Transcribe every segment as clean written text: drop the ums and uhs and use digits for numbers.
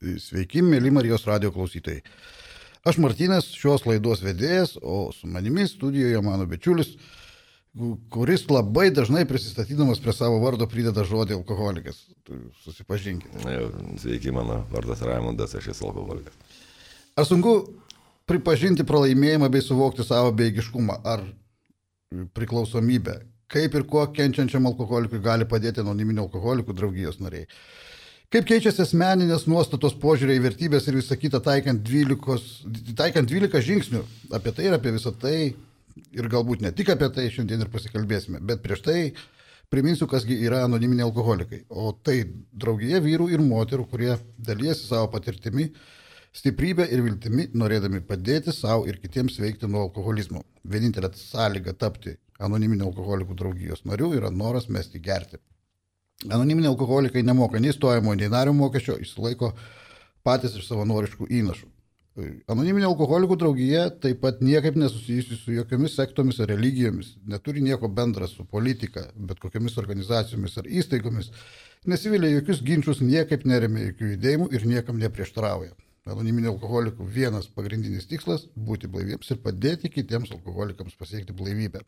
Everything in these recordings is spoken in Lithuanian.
Sveiki, mėly Marijos radio klausytojai. Aš Martynas, šios laidos vedėjas, o su manimi studijoje mano bičiulis, kuris labai dažnai prisistatydamas prie savo vardo prideda žodį alkoholikas. Susipažinkite. Sveiki, mano vardas Raimundas, aš esu alkoholikas. Ar sunku pripažinti pralaimėjimą bei suvokti savo bejėgiškumą ar priklausomybę? Kaip ir kuo kenčiančiam alkoholikui gali padėti anoniminių alkoholikų draugijos nariai? Kaip keičiasi asmeninės nuostatos, požiūriai, vertybės ir visą kitą taikant 12 žingsnių? Apie tai ir apie visą tai, ir galbūt ne tik apie tai šiandien ir pasikalbėsime, bet prieš tai priminsiu, kasgi yra anoniminiai alkoholikai. O tai draugija vyrų ir moterų, kurie dalyjasi savo patirtimi, stiprybę ir viltimi, norėdami padėti savo ir kitiems veikti nuo alkoholizmo. Vienintelė sąlyga tapti anoniminių alkoholikų draugijos narių yra noras mesti gerti. Anoniminiai alkoholikai nemoka nei stojimo, nei nario mokesčio, išsilaiko patys iš savanoriškų įnašų. Anoniminė alkoholikų draugija taip pat niekaip nesusijusi su jokiomis sektomis ar religijomis, neturi nieko bendra su politika, bet kokiamis organizacijomis ar įstaigomis, nesivilia jokius ginčius, niekaip neremia jokių judėjimų ir niekam neprieštarauja. Anoniminė alkoholikų vienas pagrindinis tikslas - būti blaiviems ir padėti kitiems alkoholikams pasiekti blaivybę.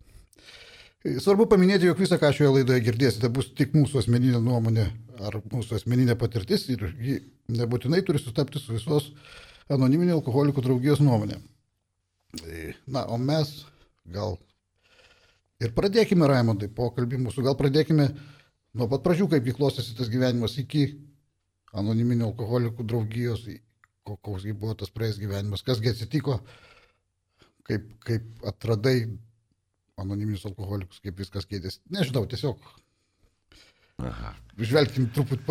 Svarbu paminėti, jog visą, ką šioje laidoje girdėsite, bus tik mūsų asmeninė nuomonė ar mūsų asmeninė patirtis ir ji nebūtinai turi sutapti su visos anoniminių alkoholikų draugijos nuomonė. Na, o mes gal ir pradėkime, Raimondai, pokalbį mūsų. Gal pradėkime nuo pat pradžių, kaip klostėsi tas gyvenimas iki anoniminių alkoholikų draugijos, koks buvo tas praėjęs gyvenimas, kasgi atsitiko, kaip atradai anoniminius alkoholikus, kaip viskas keitėsi. Nežinau, tiesiog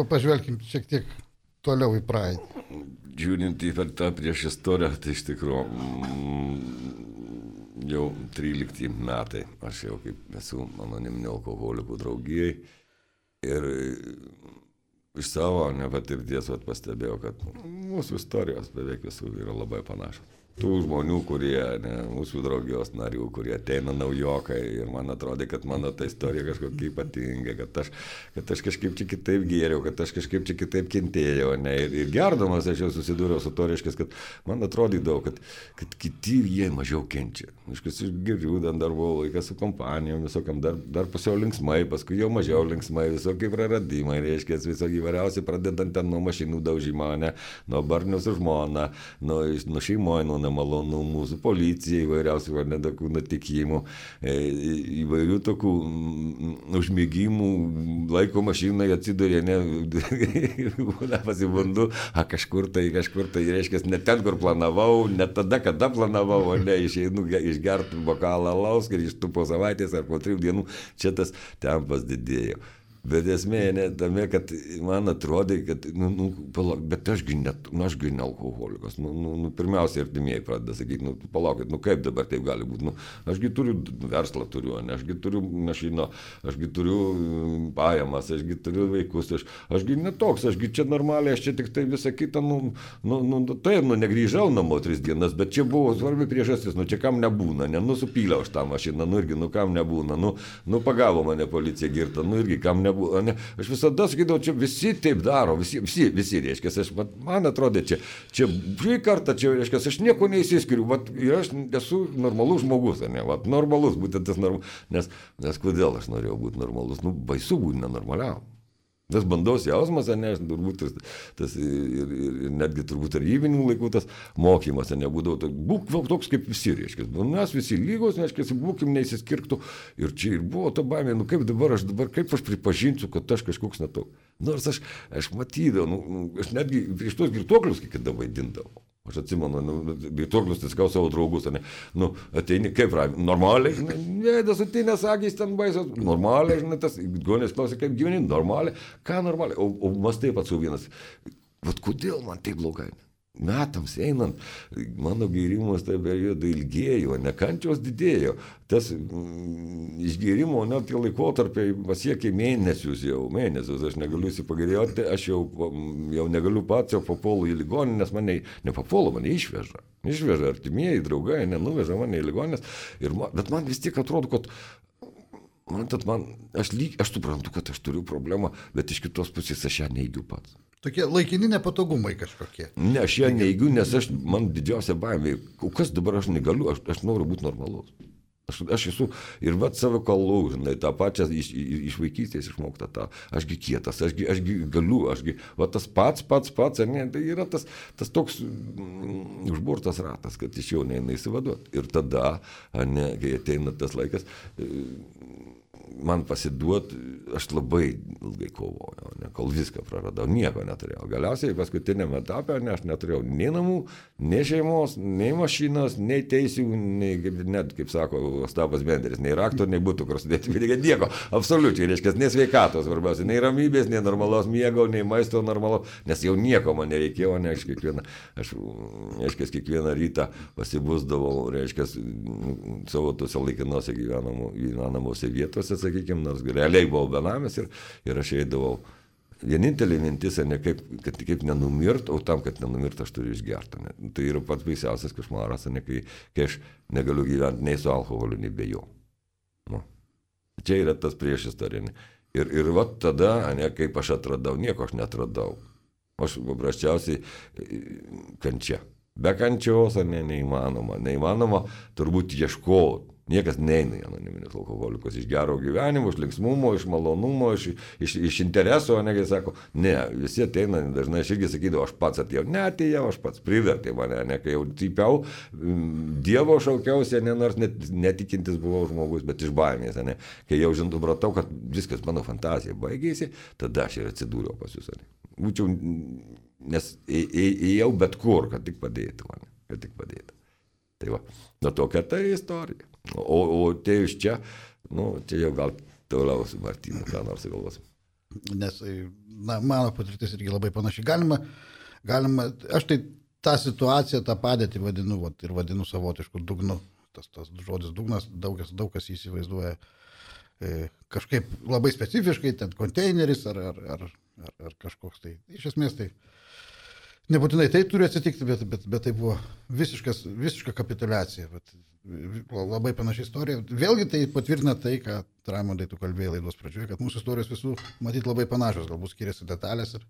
pažvelkim šiek tiek toliau į praeitį. Žiūrint į tą prieš istoriją, tai iš tikrųjų jau 13 metai aš jau kaip esu anoniminių alkoholikų draugijai ir iš savo nepatirties pastebėjau, kad mūsų istorijos beveik visų yra labai panašios. Tų žmonių, kurie, mūsų draugijos narių, kurie ateina naujokai ir man atrodė, kad mano ta istorija kažkokia ypatinga, kad aš kažkaip čia kitaip gėriau, kad aš kažkaip čia kitaip kentėjau. Ir gerdamas aš jau susidūriau su to, reiškia, kad man atrodydavo, kad kiti jie mažiau kenčia. Aš geriu, dar buvau laikas su kompanijom, visokiam dar pusiau linksmai, paskui jau mažiau linksmai, visokie praradimai, reiškia, visokie įvairiausi, pradedant ten nuo mašinų daužimo, nuo barnių su žmona, nuo šeimoje, nuo nemalonų mūsų policijai, įvairiausių tokių nutikimų, įvairių tokių užmėgimų, laiko mašinai atsidurė, pasibundu, kažkur tai, reiškia, ne ten, kur planavau, ne tada, kada planavau, išeinu išgerti bokalą alaus, grįžtu po savaitės ar po 3 dienų, čia tas tempas didėjo. Bet esmė ne tame, kad man atrodė, kad, bet ašgi ne alkoholikas. Pirmiausia, artimieji pradeda sakyti, palaukit, kaip dabar taip gali būti. Ašgi turiu verslą, ašgi turiu mašiną, ašgi turiu pajamas, ašgi turiu vaikus, ašgi netoks, ašgi čia normaliai, aš čia tik tai visą kitą, taip, negrįžau namo 3 dienas, bet čia buvo svarbi priežastis, čia kam nebūna, supyliau aš tą mašiną, irgi, kam nebūna, pagavo mane policija girta, irgi kam nebūna. Aš visada sakydavau, čia visi taip daro, visi reiškia, man atrodė, čia kartą, reiškia, aš nieko neįsiskiriu, ir aš esu normalus žmogus, normalus, būtent tas normalus, nes kodėl aš norėjau būti normalus, baisu būti nenormaliam. Tas bandos jausmas, turbūt tas ir netgi turbūt tarybinių laikų tas mokymas, nebūdavo, būk toks kaip visi, reiškia, mes visi lygos, reiškia, būkim neįsiskirktų ir čia ir buvo ta baimė, kaip aš pripažinsiu, kad aš kažkoks netoks. Nors aš matydavau, aš netgi prieš tos girtuoklius kai kada vaidindavau. Aš atsimenu, girtuoklius tiskau savo draugus, ateini kaip normaliai, vėdas ateinės akys ten baisos, normaliai, tas gonės klausė, kaip gyveni, normaliai, ką normaliai, o mas taip pats vienas, kodėl man taip blogai? Metams einant, mano gėrimas tai periodą ilgėjo, nekančios didėjo. Tas išgėrimo, tie laikotarpiai pasiekė mėnesius, aš negaliu įsipagerėti, aš jau negaliu pats, jau papuolu į ligoninę, nes mane nepapuolu, mane išveža. Išveža artimieji, draugai, nuveža mane į ligoninės, bet man vis tiek atrodo, kad aš suprantu, kad aš turiu problemą, bet iš kitos pusės aš ją neigiu pats. Tokie laikini nepatogumai kažkokie. Ne, aš ją neigiu, nes man didžiausia baimė. Kas dabar aš negaliu, aš noriu būti normalus. Aš esu ir vat savo kalų, žinai, tą pačią iš vaikystės išmoktą tą. Ašgi kietas, ašgi galiu, va tas pats, ne, tai yra tas toks užburtas ratas, kad iš jo neina įsivaduoti. Ir tada, ne, kai ateina tas laikas, man pasiduot, aš labai ilgai kovojau, ne, kol viską praradau, nieko neturėjau. Galiausiai paskutinėme etape, ne, aš neturėjau nei namų, nei šeimos, nei mašinos, nei teisių, nei, net, kaip sako Ostapas Benderis, nei rakto, nei būtų, kur sudėti, nieko, absoliučiai, reiškia, nei sveikatos, svarbiausia, nei ramybės, nei normalos miego, nei maisto normalaus, nes jau nieko man nereikėjo, ne, aš kiekvieną rytą pasibusdavau, reiškia, savo tose laikinose gyvenamose vietose, sakykime, nors realiai buvau benamis ir aš eidavau. Vienintelė mintis, ne kaip nenumirt, o tam, kad nenumirt, aš turiu išgerti. Ne. Tai yra pats baisiausias košmaras, ne, kai aš negaliu gyventi nei su alkoholiu, nei be jo. Nu. Čia yra tas priešistorė. Ir vat tada, ne, kaip aš atradau, nieko aš netradau. Aš paprasčiausiai kančia. Be kančios, neįmanoma. Neįmanoma turbūt ieškoti. Niekas neina į anoniminius alkoholikus iš gero gyvenimo, iš linksmumo, iš malonumo, iš intereso, negi sako, ne, visi ateina, dažnai aš irgi sakydavau, aš pats atėjau, neatėjau, aš pats privertė mane, ne, kai jau typiau, Dievo šaukiausi, ne, nors netikintis buvau žmogus, bet iš baimės, ne, kai jau supratau, kad viskas mano fantazija baigėsi, tada aš ir atsidūriau pas jūs, ne. Būčiau, nes ėjau bet kur, kad tik padėtų mane, kad tik padėtų. Tai va, nuo tokia ta istorija. O tai iš čia, nu, čia jau gal toliau su Martynu, ką nors galvos. Nes, na, mano patirtis irgi labai panašiai. Galima, aš tai tą situaciją, tą padėtį vadinu, ir vadinu savotišku dugnu. Tas žodis dugnas, daug kas įsivaizduoja kažkaip labai specifiškai, ten konteineris ar kažkoks tai. Iš esmės tai nebūtinai tai turi atsitikti, bet tai buvo visiška kapituliacija. Labai panaši istorija. Vėlgi tai patvirtina tai, ką Raimondai tu kalbėjai laidos pradžioje, kad mūsų istorijos visų matyti labai panašios, galbūt skiriasi detalės ir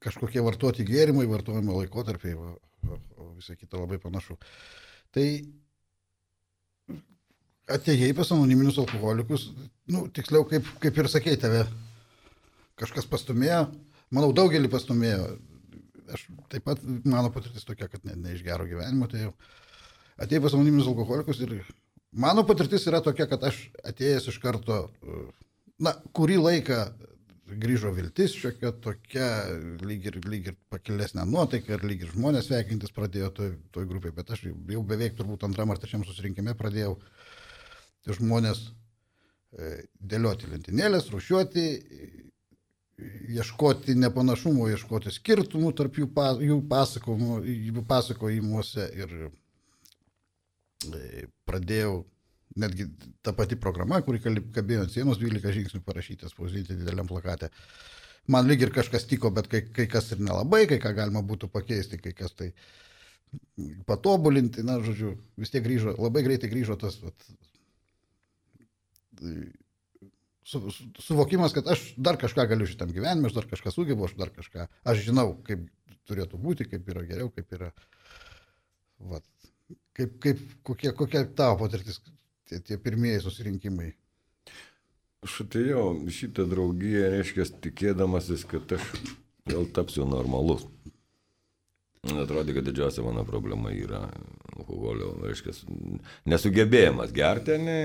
kažkokie vartoti gėrimai, vartojimo laikotarpiai, o visai kita labai panašu. Tai atėjai pas anoniminius alkoholikus, nu, tiksliau, kaip ir sakei, tave kažkas pastumėjo, manau, daugelį pastumėjo. Aš taip pat, mano patirtis tokia, kad ne iš gero gyvenimo, tai jau atėjai pas anoniminius alkoholikus ir mano patirtis yra tokia, kad aš atėjęs iš karto, na, kurį laiką grįžo viltis, šiokia tokia, lyg ir pakilesnė nuotaika, ir lyg ir žmonės sveikintis pradėjo toj grupėje, bet aš jau beveik turbūt antram ar trečiam susirinkime pradėjau žmonės dėlioti lentynėlės, rūšiuoti, ieškoti nepanašumų, ieškoti skirtumų tarp jų pasakojimuose ir pradėjau netgi tą patį programą, kuri kabėjo ant sienos 12 žingsnių parašytas, spausdinti dideliam plakate. Man lyg ir kažkas tiko, bet kai kas ir nelabai, kai ką galima būtų pakeisti, kai kas tai patobulinti, na, žodžiu, vis tiek grįžo, labai greitai grįžo tas suvokimas, kad aš dar kažką galiu šitam gyvenime, aš dar kažką sugebu, aš žinau, kaip turėtų būti, kaip yra geriau, kaip yra, vat, kokia tavo patirtis, tie pirmieji susirinkimai. Aš atėjau šitą draugiją, reiškia, tikėdamasis, kad aš vėl tapsiu normalus. Man atrodė, kad didžiausia mano problema yra alkoholio, reiškia, nesugebėjimas gerti, ne,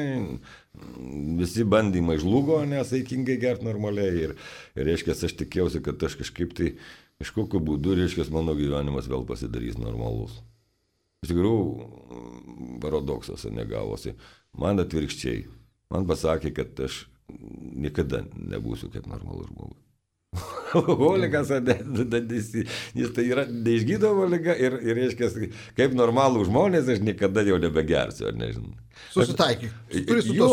visi bandymai žlugo, nesaikingai gerti normaliai ir reiškia, aš tikėjausi, kad aš kažkaip tai, kažkokiu būdu, reiškia, mano gyvenimas vėl pasidarys normalus. Iš tikrųjų, paradoksas negavosi. Man atvirkščiai, man pasakė, kad aš niekada nebūsiu kaip normalus žmogus. Alkoholikas, jis tai yra neišgydoma liga ir reiškia, kaip normalų žmonės aš niekada jau nebegersiu, ar nežinau. Susitaikyk. Jo,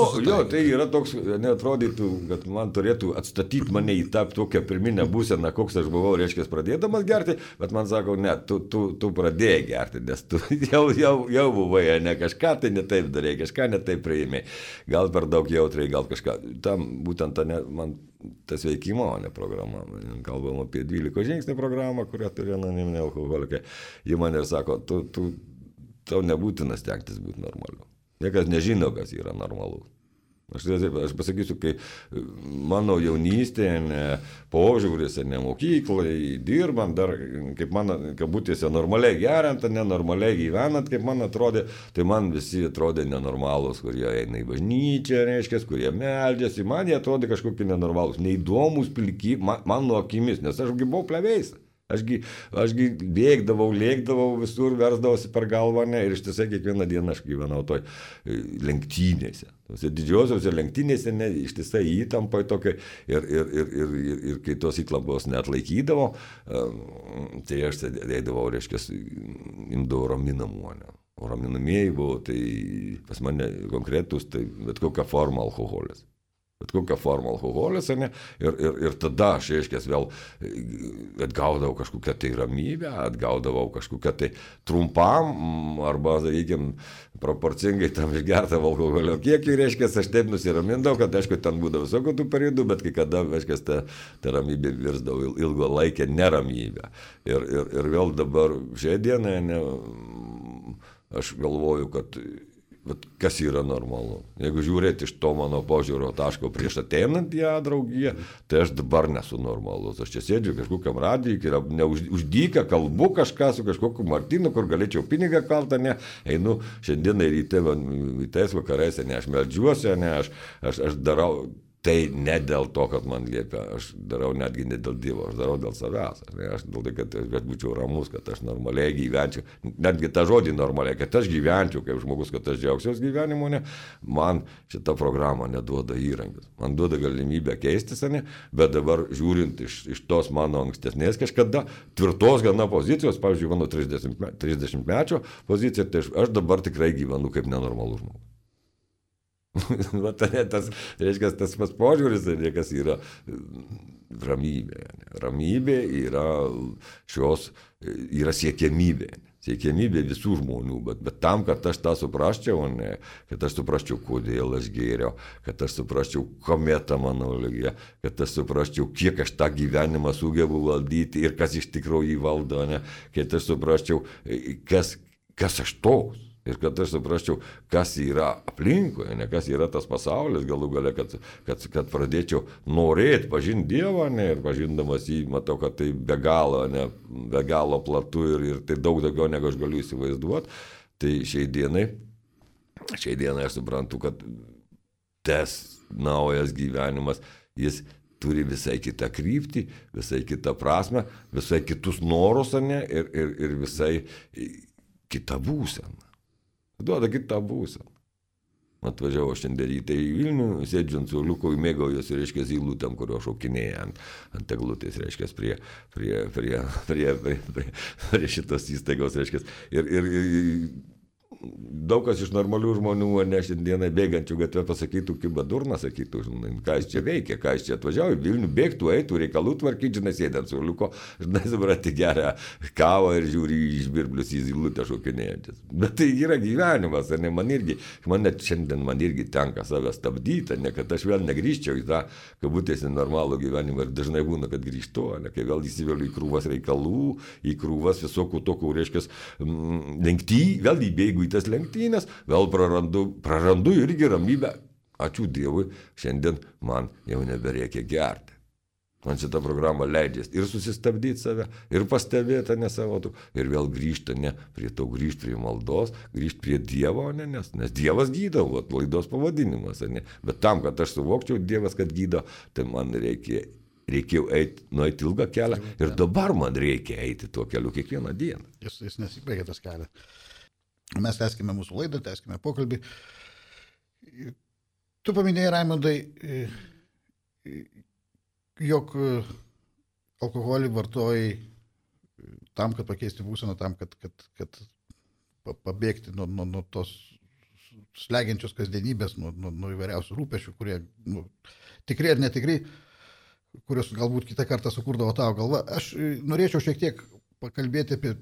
tai yra toks, neatrodytų, kad man turėtų atstatyti mane į tą tokią pirminę būseną, koks aš buvau, reiškia, pradėdamas gerti, bet man sako, ne, tu pradėjai gerti, nes tu jau buvai, ne kažką tai netaip darėjai, kažką netaip priėmėjai, gal per daug jautriai, gal kažką, tam būtent man tas veikimo, o ne programa. Kalbam apie 12 žingsnių programą, kurią turi anoniminiai alkoholikai. Jie man ir sako, tau nebūtina stengtis būti normaliu. Niekas nežino, kas yra normalu. Aš pasakysiu, kai mano jaunystėje, požiūris, mokyklai, dirbant, dar kaip mano kabutėse normaliai geriant, nenormaliai gyvenant, kaip man atrodė, tai man visi atrodė nenormalūs, kurie eina į bažnyčią, reiškia, kurie meldžiasi, man jie atrodė kažkokie nenormalūs, neįdomus, pilki, mano akimis, nes aš buvau plevėjęs. Ašgi bėgdavau, lėkdavau visur, versdavosi per galvą, ne, ir ištisai kiekvieną dieną aš gyvenau toj lenktynėse. Tose didžiosiuose lenktynėse, ne, ištisai įtampai tokia, ir kai tos įklampos neatlaikydavo, tai aš eidavau, reiškia, imdavau raminamų, ne. O raminamieji buvo, tai pas mane konkretus, tai bet kokia forma alkoholis. Bet kokią formą alkoholis, ne? Ir tada aš, reiškia, vėl atgaudavau kažkokią tai ramybę, atgaudavau kažkokią tai trumpam, arba, sakykime, proporcingai tam išgertavo alkoholio kiekį, reiškia, aš taip nusiramindavau, kad, aišku, ten būdavo visokių tų periodų, bet kai kada, reiškia, ta ramybė virsdavo ilgo laikę neramybę. Ir vėl dabar šią dieną, ne, aš galvoju, kad kas yra normalu. Jeigu žiūrėti iš to mano požiūrio taško prieš ateinant ją draugiją, tai aš dabar nesu normalus. Aš čia sėdžiu kažkokiam radijui, uždyka, kalbu kažką su kažkokiu Martinu, kur galėčiau pinigą kaltą, ne, einu šiandieną rytais vakarais, ne, aš meldžiuosi, ne, aš darau. Tai ne dėl to, kad man liepia, aš darau netgi ne dėl Dievo, aš darau dėl savęs. Aš dėl to, kad aš būčiau ramus, kad aš normaliai gyvenčiau, netgi tą žodį normaliai, kad aš gyvenčiau kaip žmogus, kad aš džiaugsiuos gyvenimu, ne, man šita programa neduoda įrankius. Man duoda galimybę keistis, ne, bet dabar žiūrint iš tos mano ankstesnės kažkada tvirtos gana pozicijos, pavyzdžiui, mano 30-mečio pozicija, tai aš dabar tikrai gyvenu kaip nenormalus žmogus. Tas, reiškia, tas pats požiūris, kas yra ramybė. Ramybė yra siekiamybė. Siekiamybė visų žmonių, bet tam, kad aš tą suprasčiau, ne, kad aš suprasčiau, kodėl aš gėriau, kad aš suprasčiau, kame ta mano ligė, kad aš suprasčiau, kiek aš tą gyvenimą sugebu valdyti ir kas iš tikrųjų jį valdo, ne, kad aš suprasčiau, kas aš toks. Ir kad aš suprasčiau, kas yra aplinkoje, ne kas yra tas pasaulis, galų gale, kad pradėčiau norėti pažinti Dievą, ne, ir pažindamas jį, matau, kad tai be galo platu ir tai daug daugiau, negu aš galiu įsivaizduoti. Tai šiai dienai aš suprantu, kad tas naujas gyvenimas, jis turi visai kitą kryptį, visai kitą prasme, visai kitus norus, ne, ir visai kitą būseną. Duoda kitą būseną. Atvažiavau šiandien ryte į Vilnių, sėdžiu ant suoliuko, mėgaujuosi, reiškia, zylutėm, kurio šaukinėja ant eglutės, reiškia, prie šitos įstaigos, reiškia. Ir daug kas iš normalių žmonių, ne šiandieną bėgančių gatvę pasakytų, kaip badurna, sakytų, žinai, ką jis čia veikia, ką jis čia atvažiavo į Vilnių, bėgtų, eitų, reikalų tvarkyti, žinai, sėdant suoliuko, žinai, suprati, geria kavą ir žiūri į žvirblius į zylutę šokinėjančias. Bet tai yra gyvenimas, ne, šiandien man irgi tenka save stabdyti, ne, kad aš vėl negrįžčiau į tą, kabutėsi, normalų gyvenimą ir dažnai būna, kad grįžtu, ne, kai vėl įsivėliu į krūvas reikalų, į krūvas visokių tokių, reiškia, vėl įbėgu į tas lenktynės, vėl prarandu irgi ramybę. Ačiū Dievui, šiandien man jau nebereikia gerti. Man šitą programą leidžias ir susistabdyti save, ir pastebėti, ne savo, ir vėl grįžti, ne, grįžti prie maldos, grįžti prie Dievo, ne, nes Dievas gydo, laidos pavadinimas, ne. Bet tam, kad aš suvokčiau Dievas, kad gydo, tai man reikėjo nueiti ilgą kelią ir dabar man reikia eiti tuo keliu kiekvieną dieną. Jis nesibaigia tas kelias. Mes tęskime mūsų laidą, tęskime pokalbį. Tu paminėjai, Raimundai, jog alkoholį vartojai tam, kad pakeisti būseną, tam, kad pabėgti nuo tos slegiančios kasdienybės, nuo įvairiausių rūpešių, kurie tikri ar netikri, kurios galbūt kitą kartą sukurdavo tavo galva. Aš norėčiau šiek tiek pakalbėti apie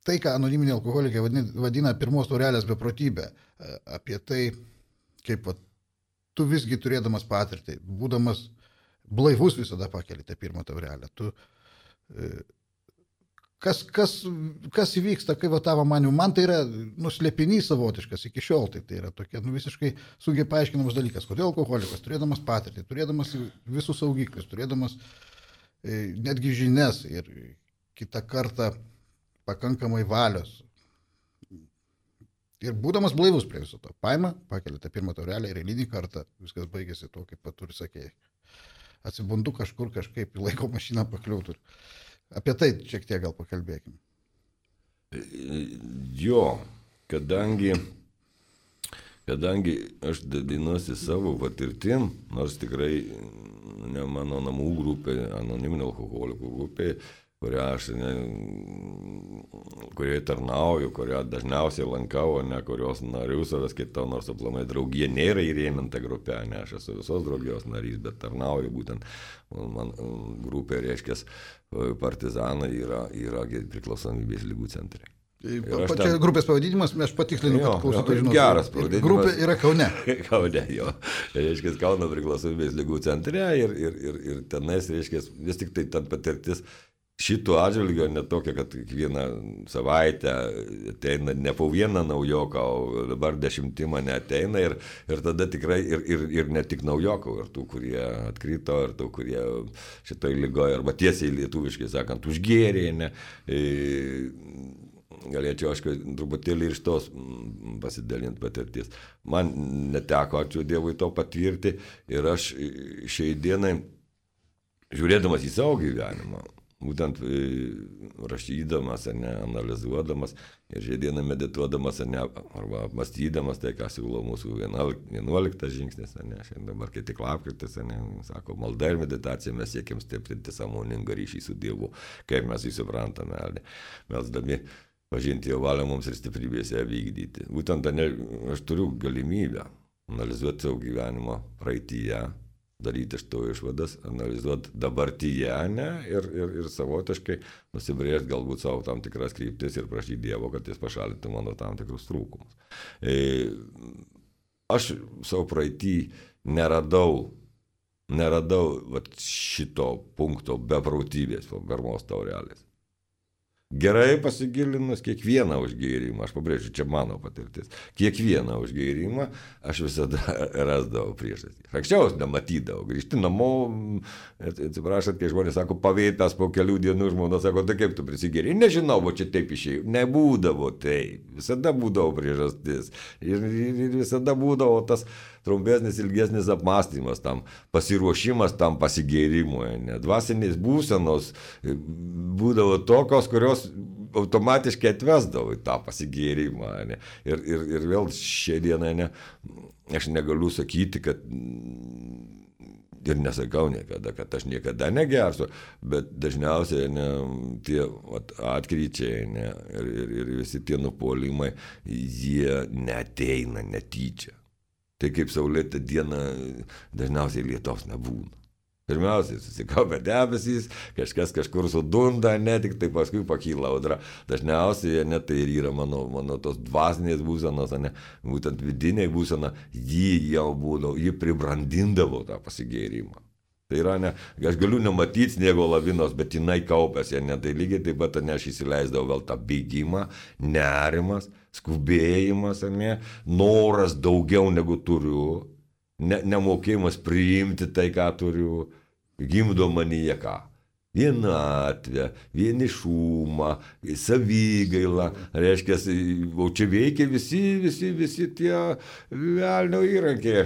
tai, ką anoniminiai alkoholikai vadina pirmos taurelės beprotybė, apie tai, kaip tu visgi turėdamas patirtį, būdamas blaivus visada pakeli tą pirmą taurelę. Kas įvyksta, kaip tavo manimu, man tai yra nuslėpinys savotiškas iki šiol, tai yra tokia visiškai sunkiai paaiškinamas dalykas, kodėl alkoholikas, turėdamas patirtį, turėdamas visus saugiklius, turėdamas netgi žinias ir kitą kartą pakankamai valios ir būdamas blaivus prie viso to, paima, pakelia tą pirmą taurelę ir eilinį kartą viskas baigėsi to, kaip paturi sakėjai. Atsibundu kažkur kažkaip į laiko mašiną pakliūtų. Apie tai šiek tiek gal pakalbėkime. Jo, kadangi aš dalinuosi savo patirtim, nors tikrai ne mano namų grupė, anoniminio alkoholikų grupė, kurioje tarnauju, kurią dažniausiai lankau, ne kurios narių savęs kitau, nors aplamai draugija nėra įrėminta grupė, ne aš esu visos draugijos narys, bet tarnauju būtent, man grupė, reiškia, partizanai yra priklausomybės lygų centrai. Pačia grupės pavadinimas, aš patikslinu, kad klausytojai žinotų. Geras pavadinimas. Grupė yra Kaune. Kaune, jo. Reiškia, Kauno priklausomybės lygų centre ir tenais, reiškia, vis tik tai ta patirtis šito atžvilgio netokia, kad kiekvieną savaitę ateina ne po vieną naujoką, o dabar 10 mane ateina ir tada tikrai ir ne tik naujokų, ir tų, kurie atkrito, ir tų, kurie šitoj lygoje, arba tiesiai lietuviškai sakant, užgėrė, ne. Galėčiau, aišku, truputėlį iš tos pasidalinti patirtis. Man neteko, ačiū Dievui, to patirti ir aš šiai dienai, žiūrėdamas į savo gyvenimą, būtent rašydamas, analizuodamas ir šiai dieną medituodamas, arba apmastydamas tai, ką siūlo mūsų 11 žingsnis, šiandien dabar kai tik lapkritis, sako, malda ir meditacija, mes siekiam stiprinti sąmoningą ryšį su Dievu, kaip mes jį suprantame, melsdami pažinti jo valią mums ir stiprybėse vykdyti. Būtent aš turiu galimybę analizuoti savo gyvenimo praeityje, daryti iš to išvadas, analizuoti dabartyje, ir savotiškai nusibrėžti galbūt savo tam tikras kryptis ir prašyti Dievo, kad jis pašalintų mano tam tikrus trūkumus. Aš savo praeitį neradau šito punkto beprotybės, pirmos taurelės. Gerai pasigilinus kiekvieną užgėrimą, aš pabrėžiu, čia mano patirtis, kiekvieną užgėrimą aš visada rasdavau priežastį. Anksčiau nematydavau, grįžti namo, atsiprašant, kai žmonės sako, pavėpęs po kelių dienų, žmona sako, tai kaip tu prisigėri, nežinau, va čia taip išėjau, nebūdavo taip, visada būdavo priežastis ir visada būdavo tas trumpesnis, ilgesnis apmąstymas, tam pasiruošimas tam pasigėrimui, dvasinės būsenos būdavo tokios, kurios automatiškai atvesdavo į tą pasigėrimą. Ir vėl šią dieną aš negaliu sakyti, kad ir nesakau niekada, kad aš niekada negersiu, bet dažniausiai tie atkryčiai ir visi tie nupuolimai, jie neateina netyčia. Tai kaip saulėta diena dažniausiai lietaus nebūna. Pirmiausiai susikaupia debesys, kažkas kažkur sudunda, tik tai paskui pakyla audra. Dažniausiai tai ir yra mano tos dvasinės būsenos, būtent vidiniai būsena, ji pribrandindavo tą pasigėrimą. Tai yra, aš galiu nematyti sniego lavinos, bet jinai kaupėsi, tai lygiai taip pat aš įsileisdavau vėl tą bėgimą, nerimas, skubėjimas, noras daugiau negu turiu, nemokėjimas priimti tai, ką turiu, gimdo manyje ką? Vienatvę, vienišumą, savigailą, reiškia, o čia veikia visi tie velnio įrankiai,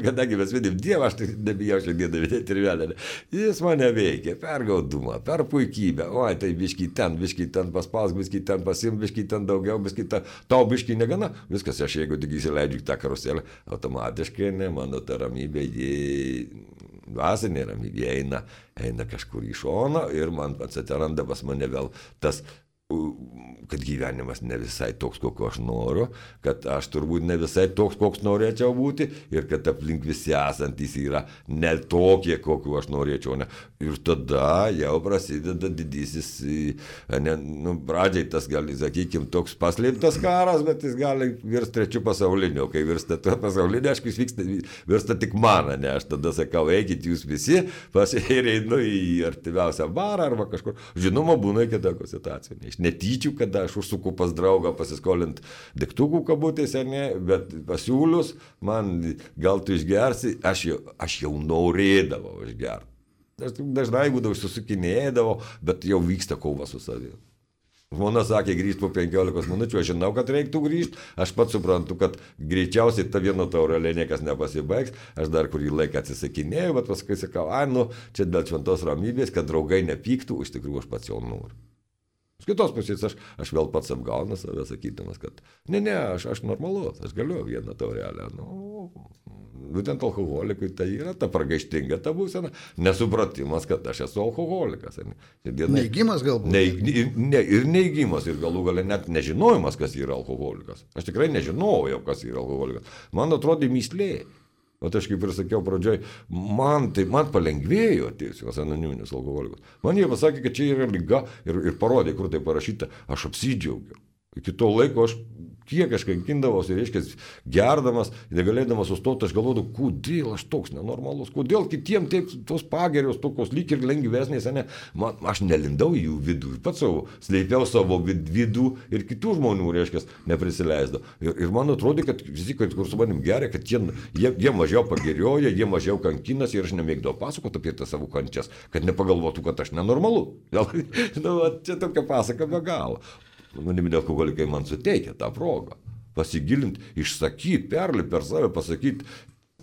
kadangi mes vidėm Dievą, aš tai nebijau šiandieną vidėti ir velnę, jis mane veikia per gaudumą, per puikybę, oi, tai biškį ten paspaus, biškį ten pasim, biškį ten daugiau, biškį ten, tau biškį negana, viskas, aš jeigu tik įsileidžiu tą karuselę, automatiškai, mano ta ramybė, dvasinė ramybė eina kažkur į šoną ir man atsiranda pas mane vėl tas kad gyvenimas ne visai toks, kokio aš noriu, kad aš turbūt ne visai toks, koks norėčiau būti ir kad aplink visi esantys yra ne tokie, kokiu aš norėčiau. Ne. Ir tada jau prasideda didysis, pradžiai tas gali, sakykime, toks paslėptas karas, bet jis gali virsti trečiu pasauliniu. Kai virsta pasaulinio, aišku, jis virsta tik man, ne. Aš tada sakau, eikit jūs visi, ir einu į artimiausią barą arba kažkur. Žinoma, būna iki tokių situacijų. Iš netyčių, kada aš užsuku pas draugą pasiskolint degtukų kabutėse, ne, bet pasiūlius, man gal tu išgersi, aš jau norėdavau išgerti. Aš dažnai būdavau susukinėdavau, bet jau vyksta kova su savimi. Žmona sakė, grįžti po 15 minučių, aš žinau, kad reiktų grįžti, aš pats suprantu, kad greičiausiai ta vieno taurelė niekas nepasibaigs, aš dar kurį laiką atsisakinėjau, bet paskui sakau, čia dėl šventos ramybės, kad draugai nepyktų, iš tikrųjų aš pats jau noriu. Iš kitos pusės aš vėl pats apgaunu save, sakydamas, kad aš normalus, aš galiu vieną taurelę. Būtent alkoholikui tai yra ta pragaištinga ta būsena, nesupratimas, kad aš esu alkoholikas. Neigimas galbūt? Ir neigimas, ir galų gale net nežinojimas, kas yra alkoholikas. Aš tikrai nežinojau, kas yra alkoholikas. Man atrodė myslė. O aš kaip ir sakiau pradžioj, man palengvėjo atėjusios anoniminis alkoholikas. Man jie pasakė, kad čia yra liga ir parodė, kur tai parašyta. Aš apsidžiaugiau. Iki to laiko kiek aš kankindavausi, reiškia, gerdamas, negalėdamas sustoti, aš galvodavau, kodėl aš toks nenormalus, kodėl kitiem taip tos pagerios, tokios lyg ir lengvesnės, ne? Aš nelindau į jų vidų, pats savo, slėpiau savo vidų ir kitų žmonių, reiškia, neprisileisdavau. Ir man atrodė, kad visi, kur su manim geria, kad jie mažiau pagerioja, jie mažiau kankinas ir aš nemėgdavau pasakoti apie tas savo kančias, kad nepagalvotų, kad aš nenormalu. Čia tokia pasaka be galo. Anoniminiai alkoholikai man suteikia tą progą pasigilinti, išsakyti, perlipti per save, pasakyti,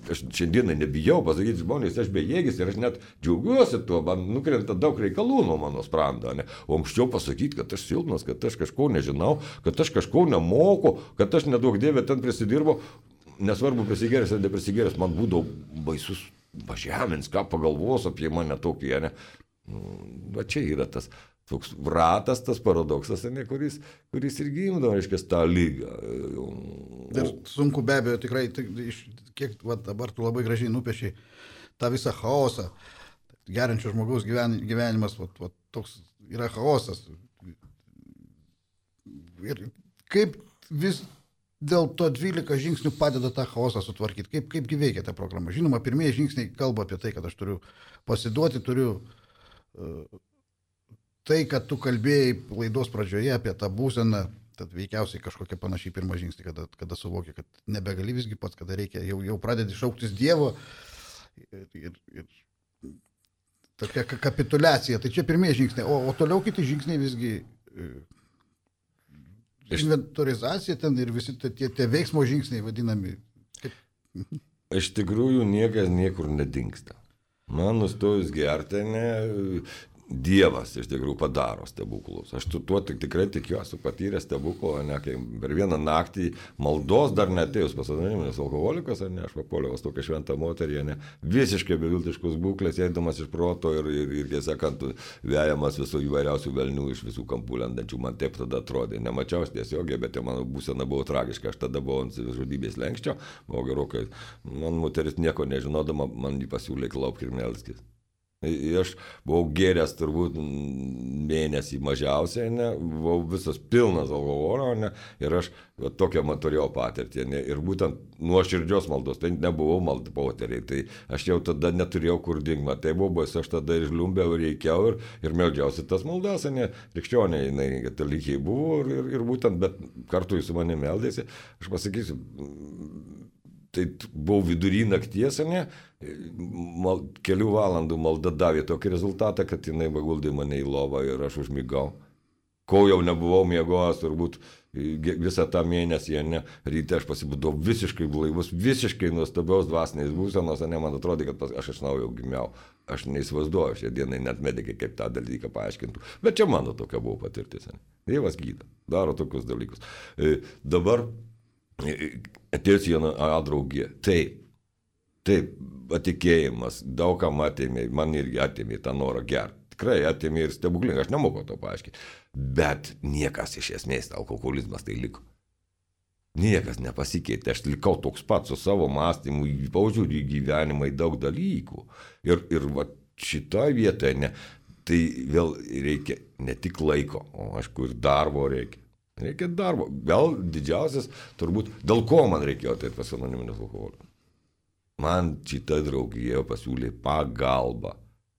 aš šiandieną nebijau pasakyti žmonės, aš bejėgis ir aš net džiaugiuosi tuo, man nukrenta daug reikalų nuo mano sprando, ne? O anksčiau pasakyti, kad aš silpnas, kad aš kažko nežinau, kad aš kažko nemoku, kad aš nedaug dievė ten prisidirbo, nesvarbu prisigeręs ar neprisigeręs, man būdavo baisus pažemins, ką pagalvos apie mane tokį, ne? Va čia yra tas toks ratas, tas paradoksas, ne, kuris ir gimdo, reiškia, tą lygą. Ir sunku be abejo, tikrai, kiek dabar tu labai gražiai nupiešiai tą visą chaosą. Geriančio žmogaus gyvenimas, toks yra chaosas. Ir kaip vis dėl to 12 žingsnių padeda tą chaosą sutvarkyti? Kaipgi veikia ta programa? Žinoma, pirmieji žingsniai kalba apie tai, kad aš turiu pasiduoti, tai, kad tu kalbėjai laidos pradžioje apie tą būseną, tad veikiausiai kažkokia panašiai pirmą žingsnį, kada suvoki, kad nebegali visgi pats, kada reikia, jau pradedi šauktis Dievo ir tokia kapituliacija. Tai čia pirmieji žingsniai, o toliau kiti žingsniai visgi inventorizacija ten ir visi tie veiksmo žingsniai vadinami. Iš tikrųjų niekas niekur nedingsta. Man nustojus gerti, Dievas iš tikrųjų padaro stebuklus. Aš tuo tikrai tikiuosi patyrę stebuklą, ne, kai per vieną naktį maldos dar neatėjus pas anoniminis alkoholikas, ne, aš papuoliau tokią šventą moterį, ne, visiškai beviltiškus būklės, eidamas iš proto ir tiesąkant vejamas visų įvairiausių velnių iš visų kampų lendančių, man taip tada atrodė. Nemačiau tiesiogiai, bet mano būsena buvo tragiška, aš tada buvau ant žudybės lenkščio, buvo gerokai, man moteris nieko nežinodama, man jį pasiūlė klaupti ir melskis. Aš buvau gėręs turbūt mėnesį mažiausiai, ne, buvau visas pilnas alkoholio, ne, ir aš tokią turėjau patirtį, ne, ir būtent nuoširdžios maldos, tai nebuvau maldapoteriai, tai aš jau tada neturėjau kur dingti, tai buvo baisu, aš tada ir žliumbiau, ir reikiau, ir meldžiausi tas maldas, ne, krikščioniai, katalikiai buvo, ir būtent, bet kartu su manimi meldėsi, aš pasakysiu, tai buvau vidury nakties, ne, kelių valandų malda davė tokį rezultatą, kad jinai paguldė mane į lovą ir aš užmigau. Kol jau nebuvau miegojęs, turbūt visą tą mėnesį, ne, ryte aš pasibudau visiškai blaivus, visiškai nuostabiaus dvasinės būsenos, ne, man atrodė, kad aš iš naujo gimiau. Aš neįsivaizduoju, šią dieną net medikai kaip tą dalyką paaiškintų. Bet čia mano tokia buvo patirtis. Ne. Dievas gydo, daro tokius dalykus. Dabar atėjus viena draugė. Taip, patikėjimas, daug kam atėmė, man irgi atėmė tą norą gerti. tikrai atėmė ir stebuklingai, aš nemoku to paaiškinti. Bet niekas iš esmės, alkoholizmas tai liko. Niekas nepasikeitė, aš likau toks pat su savo mąstymu, požiūrį į gyvenimą, į daug dalykų. Ir va, šitoje vietoje, tai vėl reikia ne tik laiko, o aišku ir darbo reikia. Reikia darbo. Gal didžiausias, turbūt, dėl ko man reikėjo tai pas anoniminės alkoholio. Man šita draugija pasiūlė pagalbą.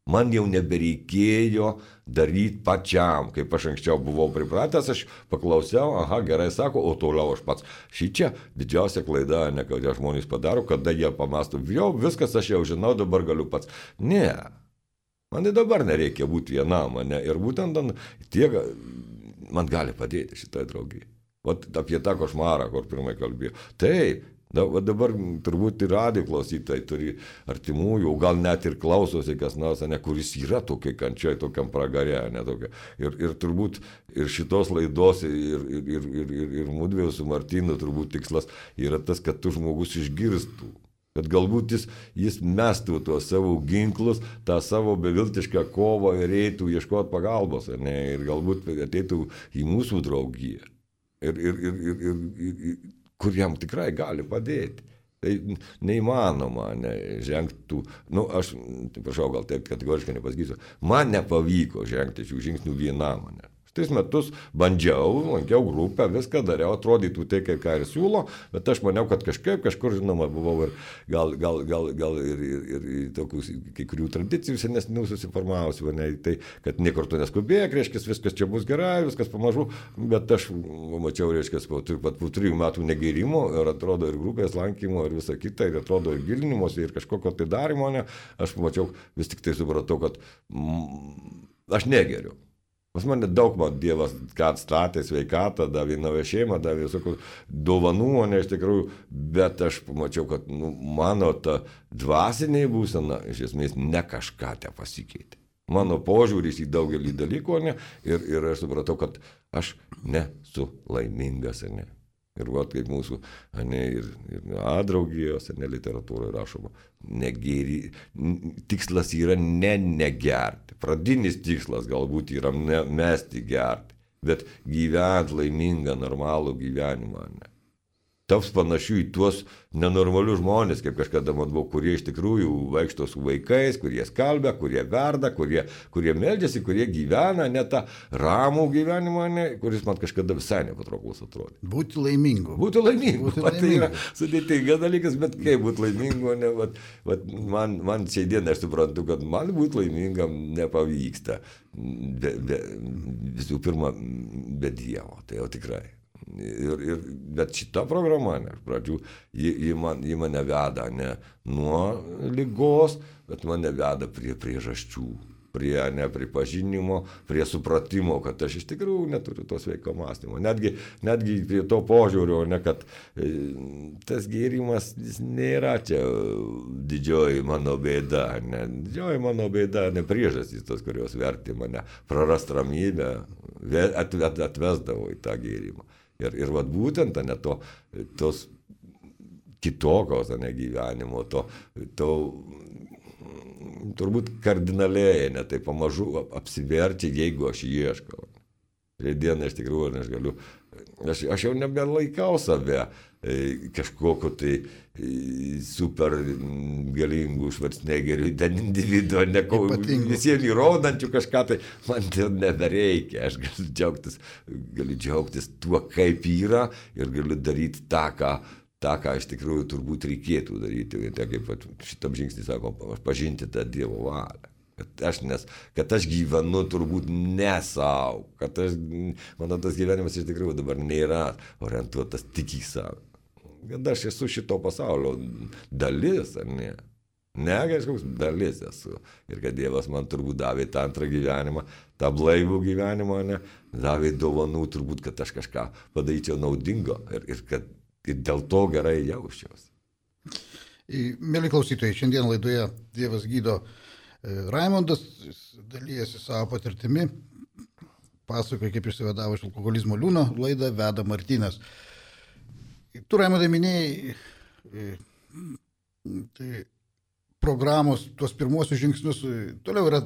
Man jau nebereikėjo daryti pačiam, kaip aš anksčiau buvau pripratęs, aš paklausiau, aha, gerai sako, o toliau aš pats. Šičia didžiausia klaida, ne kad žmonės padaro, kada jie pamąsto, jau viskas aš jau žinau, dabar galiu pats. Ne, man ir dabar nereikia būti vienam, ne? Ir būtent tiek man gali padėti šitai draugijai. Vat apie tą košmarą, kur pirmai kalbėjau. Taip. Dabar turbūt ir radijo klausytojai turi artimųjų, gal net ir klausosi kas nors, ne, kuris yra tokiai kančiai, tokiam pragare. Ne, tokia. Ir turbūt ir šitos laidos, ir mudviejų su Martynu turbūt tikslas yra tas, kad tu žmogus išgirstų. Kad galbūt jis mestų tuos savo ginklus, tą savo beviltišką kovą ir eitų ieškoti pagalbos. Ne, ir galbūt ateitų į mūsų draugiją. Kur jam tikrai gali padėti. Tai neįmanoma žengtų, aš, prašau, gal taip kategoriškai nepasakysiu, man nepavyko žengti šių žingsnių vienam. 3 metus bandžiau, lankiau grupę, viską dariau, atrodytų tai, ką ir siūlo, bet aš maniau, kad kažkur, žinoma, buvau ir gal ir tokius kai kurių tradicijų senesnių susiformavusių, tai, kad niekur tu neskubėk, reiškia, viskas čia bus gerai, viskas pamažu, bet aš mačiau, reiškia, po 3 metų negėrimo ir atrodo ir grupės lankymo ir visa kita, ir atrodo ir gilinimosi, ir kažkokio tai darimo, aš pamačiau, vis tik tai supratau, kad aš negeriu. Pas mane daug Dievas atstatė sveikatą, davė naują šeimą, davė visokių dovanų, iš tikrųjų, bet aš pamačiau, kad mano ta dvasinė būsena iš esmės ne kažką te pasikeitė. Mano požiūris į daugelį dalykų, ir aš supratau, kad aš nesu laimingas, ne. Ir vat kaip mūsų, ir draugijos, literatūroje rašoma, tikslas yra negerti. Pradinis tikslas galbūt yra mesti gerti, bet gyventi laimingą, normalų gyvenimą. Taps panašių į tuos nenormalius žmonės, kaip kažkada man buvo, kurie iš tikrųjų vaikšto su vaikais, kurie skalbia, kurie verda, kurie meldžiasi, kurie gyvena ne tą ramų gyvenimą, kuris man kažkada visai nepatrauklus atrodė. Būti laimingu. Būti laimingu. Tai yra sudėtingas dalykas, bet kaip būti laimingu, man šiai dienai aš suprantu, kad man būti laimingam nepavyksta. Visų pirma, be Dievo, tai jau tikrai. Bet šita programa, pradžių, ji mane veda ne nuo ligos, bet mane veda prie priežasčių, prie nepripažinimo, prie supratimo, kad aš iš tikrųjų neturiu to sveiko mąstymo. Netgi prie to požiūrio, kad tas gėrimas nėra čia didžioji mano bėda. Didžioji mano bėda ne priežastys tos, kurios vertė mane prarast ramybę, atvesdavo į tą gėrimą. Ir vat būtent tos kitokios gyvenimo, to turbūt kardinaliai, tai pamažu apsiverčia, jeigu aš ieškau. Šiandien iš tikrųjų aš galiu, aš jau nebelaikau save kažkokio tai super galingų Schwarzeneggerių, ten individuo, visiems įrodančių kažką, tai man tai nebereikia, aš galiu džiaugtis tuo, kaip yra ir galiu daryti tą, ką iš tikrųjų turbūt reikėtų daryti, tai kaip šitam žingsnį sako, pažinti tą Dievo valią. Kad aš gyvenu turbūt ne savo, kad mano tas gyvenimas iš tikrųjų dabar nėra orientuotas tik į savo. Kad aš esu šito pasaulio dalis, ar ne? Ne, kažkoks dalis esu. Ir kad Dievas man turbūt davė tą antrą gyvenimą, tą blaivų gyvenimą, davė dovanų turbūt, kad aš kažką padaryčiau naudingo ir dėl to gerai jausčiausi. Mėly klausytojai, šiandien laidoje Dievas gydo Raimondas dalyjasi savo patirtimi, pasakoja, kaip išsivadavo iš alkoholizmo liūno, laidą veda Martynas. Tu, Raimondai, minėjai programos, tuos pirmuosius žingsnius, toliau yra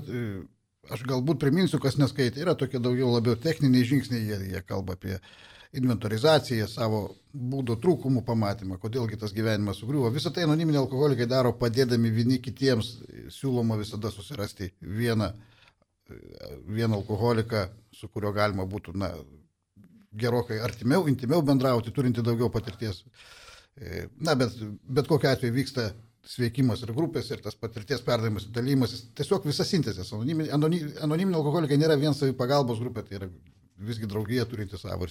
aš galbūt priminsiu, kas neskaitė, yra tokie daugiau labiau techniniai žingsniai, jie kalba apie inventorizaciją, savo būdo trūkumų pamatymą, kodėlgi tas gyvenimas sugriuvo. Visą tai anoniminiai alkoholikai daro padėdami vieni kitiems, siūloma visada susirasti vieną alkoholiką, su kuriuo galima būtų gerokai artimiau, intimiau bendrauti, turinti daugiau patirties. Bet kokiu atveju vyksta sveikimas ir grupės, ir tas patirties perdavimas, dalymasis, tiesiog visa sintezės. Anoniminiai alkoholikai nėra vien savipagalbos grupė, tai yra visgi draugija turinti savo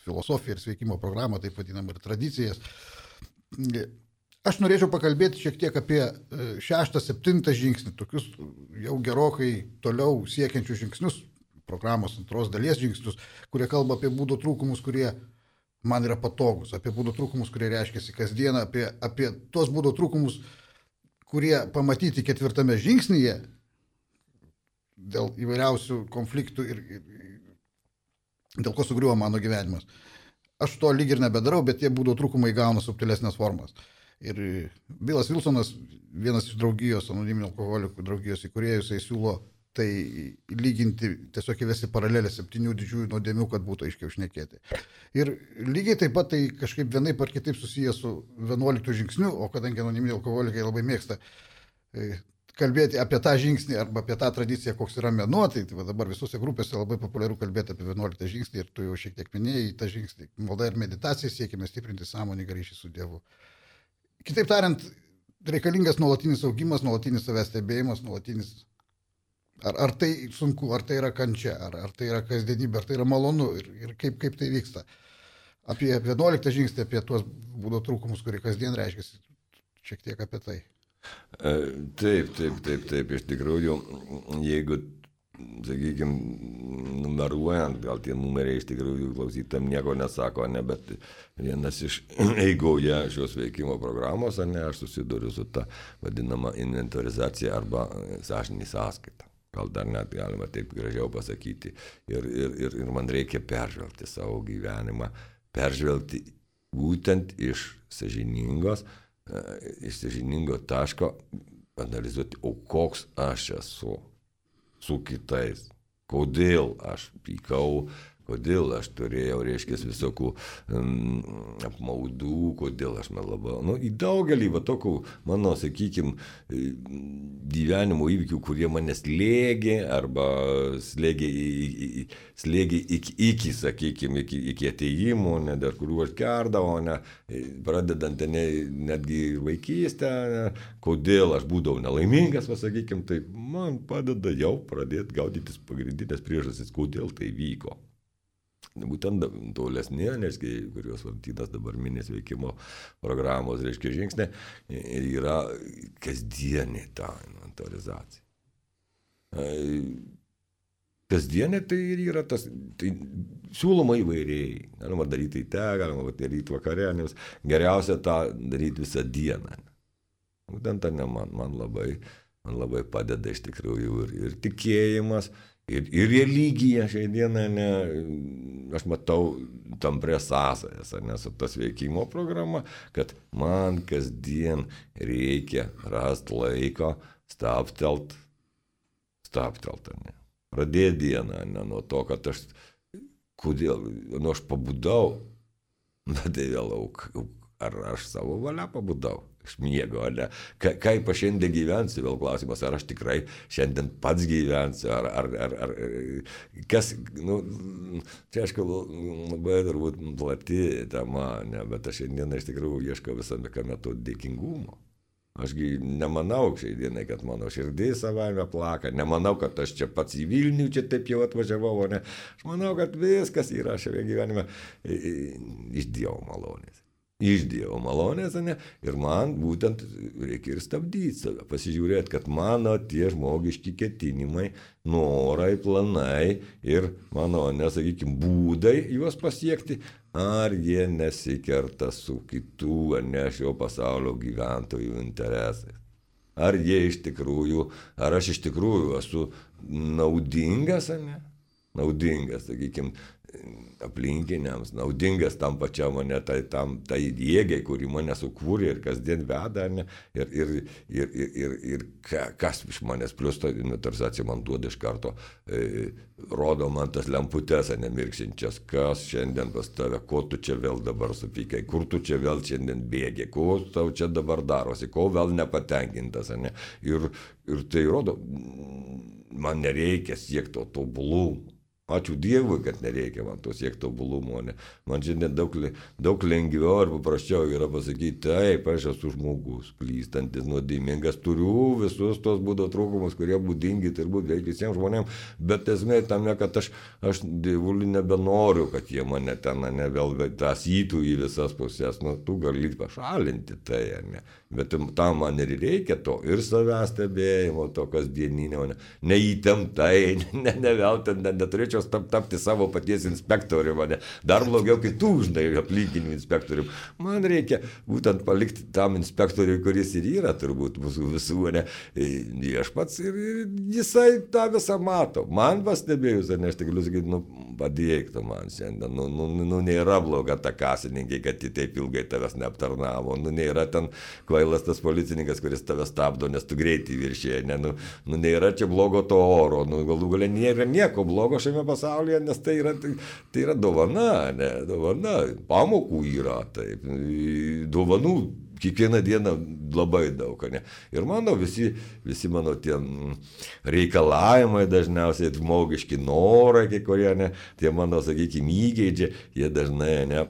filosofiją ir sveikimo programą, taip vadinam, ir tradicijas. Aš norėčiau pakalbėti šiek tiek apie 6-7 žingsnį, tokius jau gerokai toliau siekiančius žingsnius, programos antros dalies žingsnius, kurie kalba apie būdo trūkumus, kurie man yra patogus, apie būdo trūkumus, kurie reiškiasi kasdieną, apie tos būdo trūkumus, kurie pamatyti 4 žingsnyje dėl įvairiausių konfliktų ir dėl ko sugriuvo mano gyvenimas. Aš to lyg ir nebedarau, bet tie būdo trūkumai gauna subtilesnės formas. Ir Bilas Wilsonas, vienas iš draugijos, anoniminių alkoholikų draugijos įkūrėjų, jisai siūlo tai lyginti, tiesiog įvesti paralelę 7 didžiųjų nuodėmių, kad būtų aiškiau šnekėti. Ir lygiai taip pat tai kažkaip vienaip ar kitaip susijęs su 11 žingsniu, o kadangi anoniminiai alkoholikai labai mėgsta kalbėti apie tą žingsnį arba apie tą tradiciją, koks yra mėnuo, tai dabar visose grupėse labai populiaru kalbėti apie 11 žingsnį ir tu jau šiek tiek minėjai tą žingsnį. Malda ir meditacija siekime stiprinti sąmoningą ryšį su Dievu. Kitaip tariant, reikalingas nuolatinis augimas, nuolatinis savęs stebėjimas, nuolatinis. Ar tai sunku, ar tai yra kančia, ar tai yra kasdienybė, ar tai yra malonu ir kaip tai vyksta. Apie 11 žingsnį, apie tuos būdo trūkumus, kurie kasdien reiškiasi, šiek tiek apie tai. Taip, iš tikrųjų, jeigu, sakykime, numeruojant, gal tie numeriai iš tikrųjų klausytam nieko nesako, bet vienas iš eigoje šios veikimo programos, aš susiduriu su ta vadinama inventorizacija arba sąžinė sąskaita. Gal dar net galima taip gražiau pasakyti. Ir man reikia peržvelgti savo gyvenimą, peržvelgti būtent iš sąžiningo taško analizuoti, o koks aš esu su kitais, kodėl aš pykau, kodėl aš turėjau, reiškia, visokių apmaudų, kodėl aš melavau. Į daugelį tokių mano, sakykime, gyvenimo įvykių, kurie mane slėgė arba slėgė iki, sakykime, iki ateimų, dėl kurių aš kerdavau, pradedant netgi vaikystę, kodėl aš būdavau nelaimingas, sakykime, tai man padeda jau pradėti gaudytis pagrindinės priežastis, kodėl tai vyko. Būtent tolesnė, kurios Valentinas dabar minės veikimo programos, žingsnė, yra kasdienė ta inventorizacija. Kasdienė tai yra tas, tai siūloma įvairiai. Galima daryti galima daryti vakarienės, geriausia tą daryti visą dieną. Būtent ta man labai padeda iš tikrųjų ir tikėjimas. Ir religija šiai dieną, aš matau tamprę sąsajas, su tas veikimo programa, kad man kasdien reikia rasti laiko stabtelt, pradėti dieną, nuo to, kad aš pabudau, tai vėl ar aš savo valia pabudau. Iš miego, kaip aš šiandien gyvensiu, vėl klausimas, ar aš tikrai šiandien pats gyvensiu, ar kas, čia aišku, labai turbūt plati tema, bet aš šiandien iš tikrųjų ieškau visame kame to dėkingumo. Ašgi nemanau šiai dienai, kad mano širdis savaime plaka, nemanau, kad aš čia pats į Vilnių čia taip jau atvažiavau, aš manau, kad viskas yra šiame gyvenime iš Dievo malonės. Iš Dievo malonės, ir man būtent reikia ir stabdyti save, pasižiūrėti, kad mano tie žmogiški ketinimai, norai, planai ir mano, nesakykime, būdai juos pasiekti, ar jie nesikerta su kitų, šio pasaulio gyventojų interesais. Ar aš iš tikrųjų esu naudingas, naudingas, sakykime, aplinkiniams, naudingas tam pačiam mane, tai jėgai, kuri mane sukūrė ir kasdien veda, ne, ir kas iš manęs, plus ta inventorizacija man duoda iš karto, rodo man tas lemputes, nemirksinčias, kas šiandien pas tave, ko tu čia vėl dabar supykai, kur tu čia vėl šiandien bėgi, ko tau čia dabar darosi, ko vėl nepatenkintas, ne, ir tai rodo, man nereikia siekti to tobulumo. Ačiū Dievui, kad nereikia man to siekti tobulumo. Man šiandien daug lengviau ir paprasčiau yra pasakyti, taip, aš esu žmogus, klystantis, nuodėmingas, turiu visus tos būdo trūkumus, kurie būdingi turbūt beveik visiems žmonėms, bet esmė tame, kad aš Dievulį nebenoriu, kad jie mane ten vėl tasytų į visas pusės. Tu gali pašalinti tai, ne? Bet tam man ir reikia to, ir savęs stebėjimo, to kasdieninio, neįtemptai, ne vėl ten neturėčiau tapti savo paties inspektorium, dar blogiau kitų, žinai, aplinkinių inspektorium. Man reikia būtent palikti tam inspektoriui, kuris ir yra turbūt mūsų visų, ne, viešpats ir jisai tą visą mato. Man pastebėjus, aš tik galiu sakyti, padėk tu man šiandien, nėra bloga ta kasininkė, kad ji taip ilgai tavęs neaptarnavo, nėra ten kvailas tas policininkas, kuris tave stabdo, nes tu greitį viršėjai, nėra čia blogo to oro, galų galia nėra nieko blogo šiame pasaulyje, nes tai yra dovana, dovana, pamokų yra, taip, dovanų kiekvieną dieną labai daug, ne. Ir mano visi mano tie reikalavimai dažniausiai, žmogiški norai, kai kurie, ne, tie mano, sakykime, įgeidžiai, jie dažnai,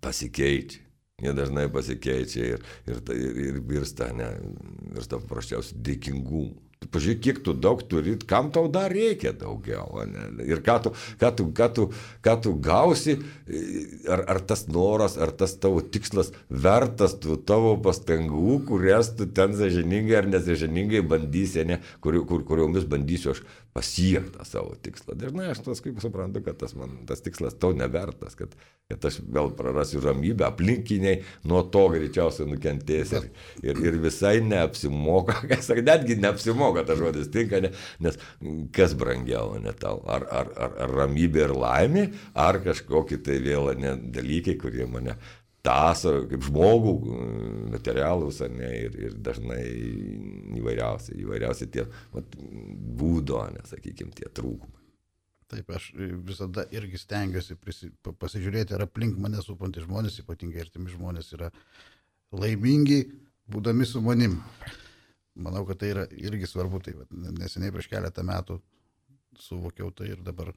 pasikeičia. Jie dažnai pasikeičia ir virsta paprasčiausiai dėkingumu. Pažiūrėk, kiek tu daug turi, kam tau dar reikia daugiau, ne? Ir ką tu gausi, ar tas noras, ar tas tavo tikslas vertas tavo pastangų, kurias tu ten sąžiningai ar nesąžiningai bandysi, ne? Kuriomis bandysiu aš pasiekti savo tikslą. Dažnai aš kaip suprantu, kad tas tikslas tau nevertas, kad aš vėl prarasiu ramybę, aplinkiniai nuo to greičiausiai nukentės ir visai neapsimoka, netgi neapsimoka tas žodis tinka, nes kas brangiau, ne tau, ar ramybė ir laimė, ar kažkokie tai vėl dalykai, kurie mane taso kaip žmogų, materialus, ir dažnai įvairiausi tie būdo, sakykime, tie trūkumai. Taip, aš visada irgi stengiuosi pasižiūrėti, ar aplink mane supantys žmonės, ypatingai artimi žmonės, yra laimingi, būdami su manim. Manau, kad tai yra irgi svarbu. Tai neseniai prieš keletą metų suvokiau tai ir dabar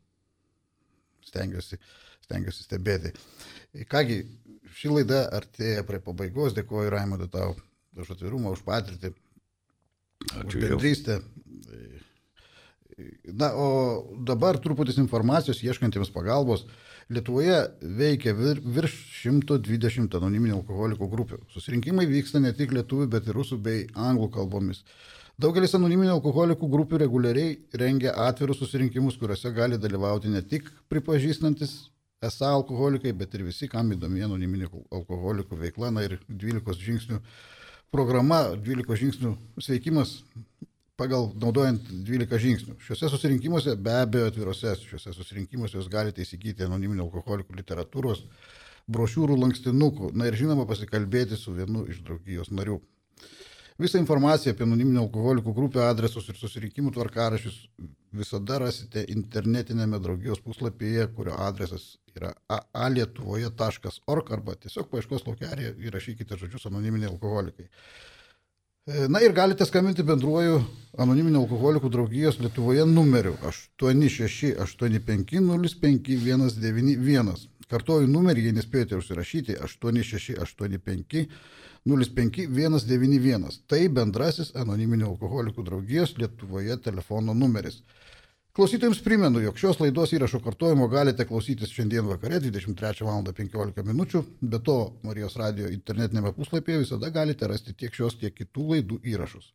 stengiuosi stebėti. Kągi, ši laida artėja prie pabaigos. Dėkuoju, Raimondai, tau už atvirumą, už patirtį, už bendrystę. Na, o dabar truputis informacijos ieškantiems pagalbos. Lietuvoje veikia virš 120 anoniminių alkoholikų grupių. Susirinkimai vyksta ne tik lietuvių, bet ir rusų bei anglų kalbomis. Daugelis anoniminių alkoholikų grupių reguliariai rengia atvirus susirinkimus, kuriuose gali dalyvauti ne tik pripažįstantis esą alkoholikai, bet ir visi, kam įdomi anoniminių alkoholikų veikla. Na ir 12 žingsnių programa, 12 žingsnių sveikimas pagal naudojant 12 žingsnių. Šiuose susirinkimuose, be abejo atvirose, šiuose susirinkimuose jūs galite įsigyti anoniminių alkoholikų literatūros, brošiūrų, lankstinukų, na ir žinoma pasikalbėti su vienu iš draugijos narių. Visą informaciją apie anoniminių alkoholikų grupių adresus ir susirinkimų tvarkaraščius visada rasite internetinėme draugijos puslapyje, kurio adresas yra aalietuvoje.org arba tiesiog paieškos laukelėje įrašykite žodžius anoniminiai alkoholikai. Na ir galite skambinti bendruoju anoniminių alkoholikų draugijos Lietuvoje numeriu 8685055191. Kartuoju numerį, jei nespėjote užsirašyti, 8685055191. Tai bendrasis anoniminių alkoholikų draugijos Lietuvoje telefono numeris. Klausytojams primenu, jog šios laidos įrašo kartojimo galite klausytis šiandien vakare 23:15 min. Be to, Marijos radijo internetinėme puslapyje visada galite rasti tiek šios, tiek kitų laidų įrašus.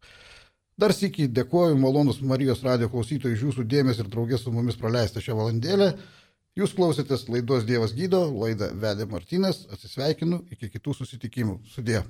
Dar sykį dėkoju malonus Marijos radijo klausytojai iš jūsų dėmesį ir draugės su mumis praleistą šią valandėlę. Jūs klausėtės laidos Dievas gydo, laidą vedė Martynas, atsisveikinu, iki kitų susitikimų. Sudie.